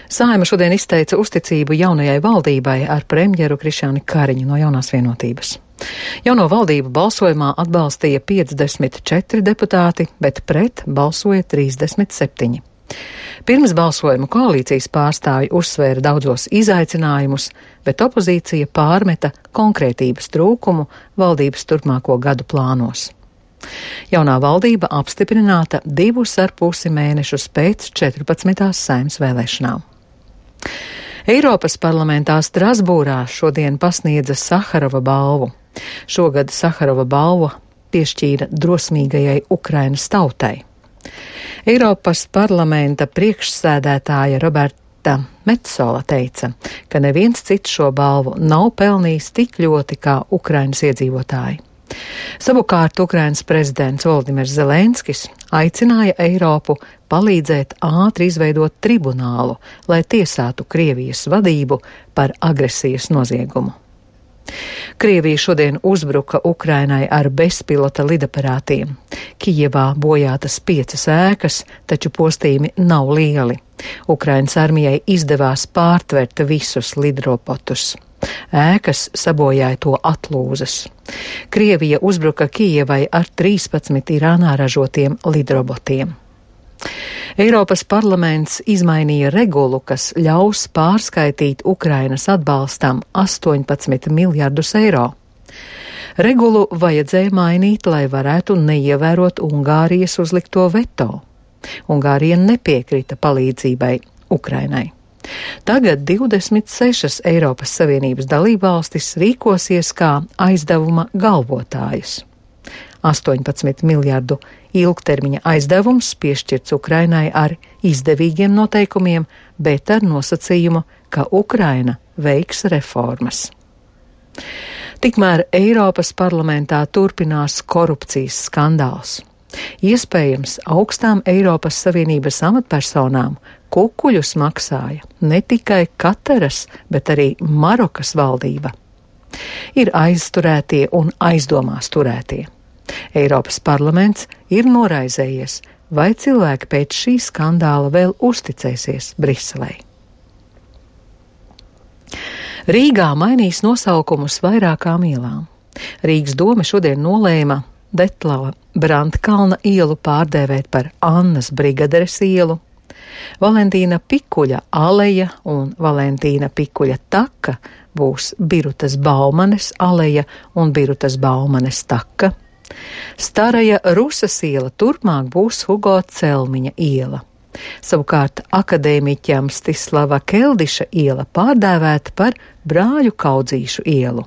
Saeima šodien izteica uzticību jaunajai valdībai ar premjeru Krišjāni Kariņu no Jaunās vienotības. Jauno valdību balsojumā atbalstīja 54 deputāti, bet pret balsoja 37. Pirms balsojuma koalīcijas pārstāvji uzsvēra daudzos izaicinājumus, bet opozīcija pārmeta konkrētības trūkumu valdības turpmāko gadu plānos. Jaunā valdība apstiprināta 2,5 mēnešus pēc 14. Saeimas vēlēšanām. Eiropas parlamentā Strasbūrā šodien pasniedza Saharova balvu. Šogad Saharova balva piešķīra drosmīgajai Ukrainas tautai. Eiropas parlamenta priekšsēdētāja Roberta Metsola teica, ka neviens cits šo balvu nav pelnījis tik ļoti kā Ukrainas iedzīvotāji. Savukārt Ukrainas prezidents Volodimirs Zelenskis aicināja Eiropu palīdzēt ātri izveidot tribunālu, lai tiesātu Krievijas vadību par agresijas noziegumu. Krievija šodien uzbruka Ukrainai ar bezpilota lidaparātiem. Kijevā bojātas 5 ēkas, taču postījumi nav lieli. Ukrainas armijai izdevās pārtvert visus lidrobotus. Ēkas sabojāja to atlūzas. Krievija uzbruka Kijevai ar 13 Irānā ražotiem lidrobotiem. Eiropas parlaments izmainīja regulu, kas ļaus pārskaitīt Ukrainas atbalstam 18 miljardus eiro. Regulu vajadzēja mainīt, lai varētu neievērot Ungārijas uzlikto veto. Ungārija nepiekrita palīdzībai Ukrainai. Tagad 26 Eiropas Savienības dalībvalstis rīkosies kā aizdevuma galvotājas. 18 miljardu ilgtermiņa aizdevums piešķirts Ukrainai ar izdevīgiem noteikumiem, bet ar nosacījumu, ka Ukraina veiks reformas. Tikmēr Eiropas parlamentā turpinās korupcijas skandāls. Iespējams, augstām Eiropas Savienības amatpersonām kukuļus maksāja ne tikai Kataras, bet arī Marokas valdība. Ir aizturētie un aizdomās turētie. Eiropas parlaments ir noraizējies, vai cilvēki pēc šī skandāla vēl uzticēsies Briselei. Rīgā mainīs nosaukumus vairākām ielām. Rīgas doma šodien nolēma Detlava Brandkalna ielu pārdēvēt par Annas Brigaderes ielu, Valentīna Pikuļa aleja un Valentīna Pikuļa taka būs Birutas Baumanes aleja un Birutas Baumanes taka. Staraja Rusas iela turpmāk būs Hugo Celmiņa iela. Savukārt akadēmiķa Mstislava Keldiša iela pārdēvēta par Brāļu Kaudzīšu ielu.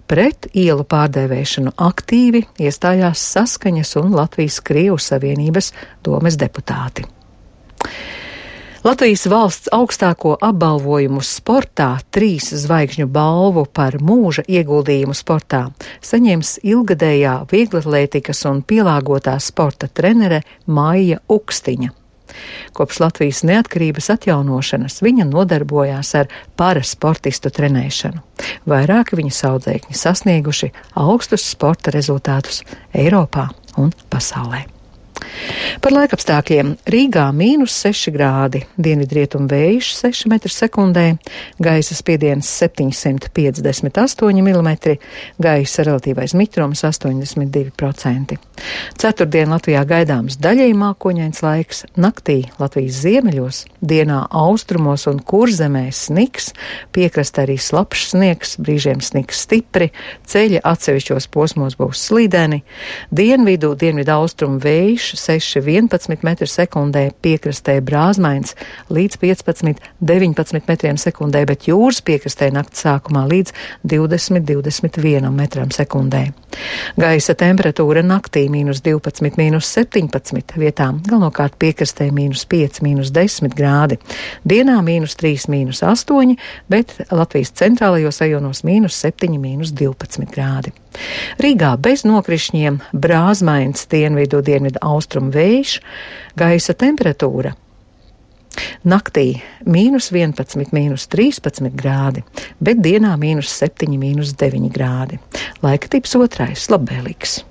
Pret ielu pārdēvēšanu aktīvi iestājās Saskaņas un Latvijas Krievu Savienības domes deputāti. Latvijas valsts augstāko apbalvojumu sportā 3 zvaigžņu balvu par mūža ieguldījumu sportā saņems ilgadējā vieglatlētikas un pielāgotā sporta trenere Maija Ukstiņa. Kopš Latvijas neatkarības atjaunošanas viņa nodarbojās ar parasportistu trenēšanu. Vairāki viņas audzēkņi sasnieguši augstus sporta rezultātus Eiropā un pasaulē. Par laikapstākļiem Rīgā -6 grādi, dienvidrietumu vējš 6 m/sekundē, gaisa spiediens 758 mm, gaisa relatīvais mitrums 82%. Ceturtdien Latvijā gaidāms daļēji mākoņains laiks, naktī Latvijas ziemeļos, dienā austrumos un kurzemē sniks, piekrastē arī slapjš sniegs, brīžiem sniks stipri, ceļi atsevišķos posmos būs slideni, dienvidu austrumu vējš 6–11 m/sekundē, piekrastē brāzmains līdz 15–19 m/sekundē, bet jūras piekrastē nakts sākumā līdz 20–21 m/sekundē. Gaisa temperatūra naktī -12, -17 vietām, galvenokārt piekrastē -5, -10 grādi, dienā -3, -8, bet Latvijas centrālajos rajonos -7, -12 grādi. Rīgā bez nokrišņiem, brāzmains dienvidu austrumu vējš, gaisa temperatūra naktī -11, -13 grādi, bet dienā -7, -9 grādi. Laika tips otrais, labvēlīgs.